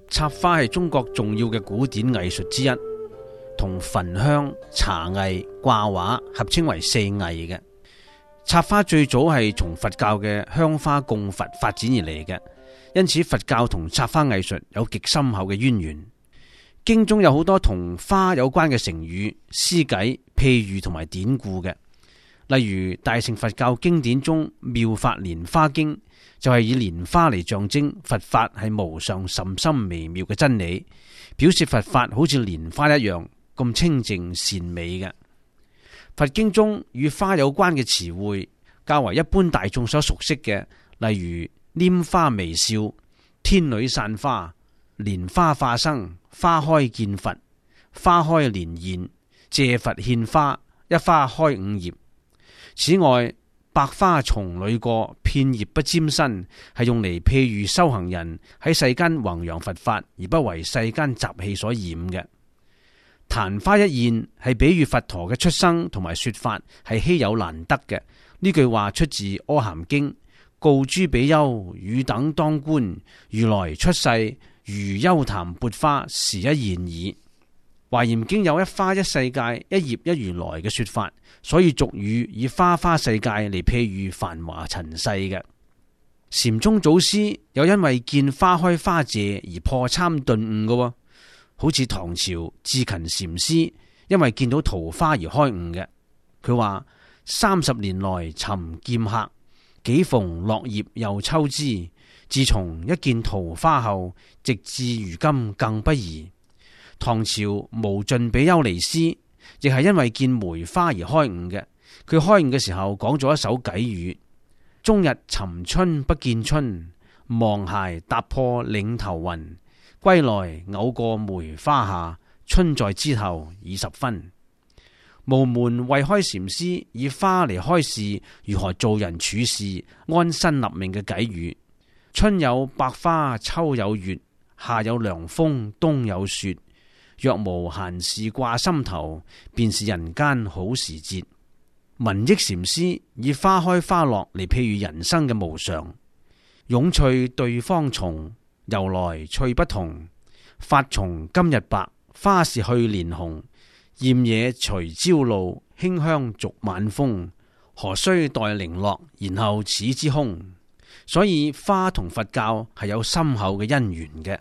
插花係中國重要嘅古典藝術之一，同焚香、茶藝、掛畫合稱為四藝嘅。插花最早係從佛教嘅香花供佛發展而嚟嘅，因此佛教同插花藝術有極深厚嘅淵源。經中有好多同花有關嘅成語、詩偈、譬喻同埋典故嘅，例如大乘佛教經典中《妙法蓮花經》就係以蓮花嚟象徵佛法係無上甚深微妙嘅真理，表示佛法好似蓮花一樣咁清淨善美嘅。佛經中與花有關嘅詞彙較為一般大眾所熟悉嘅，例如拈花微笑、天女散花、蓮花化生、花開見佛、花開蓮現、借佛獻花、一花開五葉。此外，百花叢裏過，片葉不沾身，係用嚟譬喻修行人喺世間弘揚佛法而不為世間雜氣所染嘅。曇花一現係比喻佛陀嘅出生同埋說法係稀有難得嘅。呢句話出自《阿含經》，告諸比丘：汝等當觀，如來出世如幽檀鉢花，是一現耳。華嚴經有一花一世界，一葉一如來嘅說法，所以俗語以花花世界嚟譬喻繁華塵世嘅。禪宗祖師有因為見花開花謝而破參頓悟嘅，好似唐朝智勤禪師因為見到桃花而開悟嘅。佢話：30年來尋劍客，幾逢落葉又抽枝。自從一見桃花後，直至如今更不疑。唐朝無盡比丘尼師亦係因為見梅花而開悟嘅。佢開悟嘅時候講咗一首偈語：終日尋春不見春，望鞋踏破嶺頭雲。歸來偶過梅花下，春在枝頭已十分。無門慧開禪師以花嚟開示如何做人處事、安身立命嘅偈語：春有百花，秋有月，夏有涼風，冬有雪。若無閒事掛心頭，便是人間好時節。文益禪師以花開花落嚟譬喻人生嘅無常。涌翠對方重，由來趣不同。發從今日白，花是去年紅。艷野隨朝露，馨香續晚風。何須待零落，然後始之空。所以花同佛教係有深厚嘅因緣嘅。